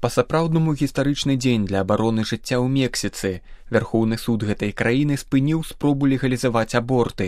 Па-сапраўднаму гістарычны дзень для абароны жыцця ў Мексіцы. Вярхоўны суд гэтай краіны спыніў спробу легалізаваць аборты.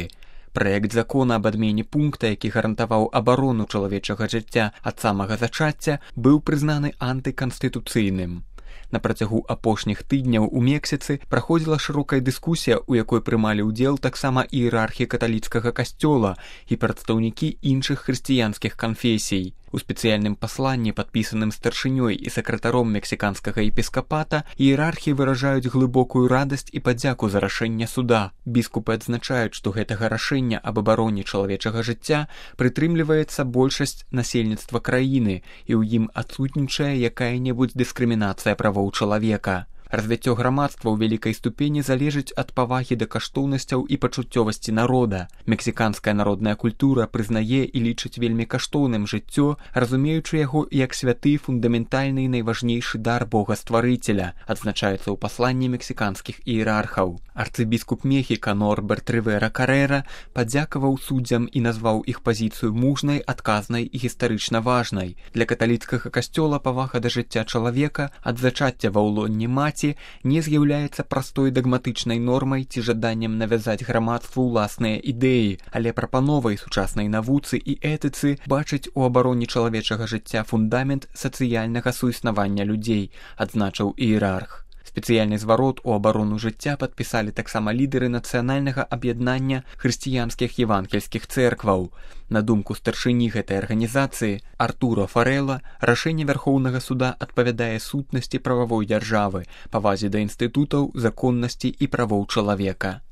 Праект закона аб адмене пункта, які гарантаваў абарону чалавечага жыцця ад самага зачацця, быў прызнаны антыканстытуцыйным. На працягу апошніх тыдняў у Мексіцы праходзіла шырокая дыскусія, у якой прымалі ўдзел таксама іерархі каталіцкага касцёла і прадстаўнікі іншых хрысціянскіх канфесій. У спецыяльным пасланні, падпісаным старшынёй і сакратаром мексіканскага епіскапата, іерархі выражаюць глыбокую радасць і падзяку за рашэнне суда. Біскупы адзначаюць, што гэтага рашэння аб абароне чалавечага жыцця прытрымліваецца большасць насельніцтва краіны, і ў ім адсутнічае якая-небудзь дыскрымінацыя правоў чалавека. Развіццё грамадства ў вялікай ступені залежыць ад павагі да каштоўнасцяў і пачуццёвасці народа. Мексіканская народная культура прызнае і лічыць вельмі каштоўным жыццё, разумеючы яго як святы, фундаментальны і найважнейшы дар Бога-стварыцеля, адзначаецца ў пасланні мексіканскіх іерархаў. Арцыбіскуп Мехіка Норберт Рывера Карэра падзякаваў суддзям і назваў іх пазіцыю мужнай, адказнай і гістарычна важнай. Для каталіцкага касцёла павага да жыцця чалавека ад зачацця ва ўлонні маці не з'яўляецца простой дагматычнай нормай ці жаданнем навязаць грамадству ўласныя ідэі, але прапановай сучаснай навуцы і этыцы бачыць у абароне чалавечага жыцця фундамент сацыяльнага суіснавання людзей, адзначыў іерарх. Спецыяльны зварот у абарону жыцця падпісалі таксама лідары нацыянальнага аб'яднання хрысціянскіх евангельскіх цэркваў. На думку старшыні гэтай арганізацыі Артура Фарэла, рашэнне Вярхоўнага суда адпавядае сутнасці прававой дзяржавы, павазе да інстытутаў, законнасці і правоў чалавека.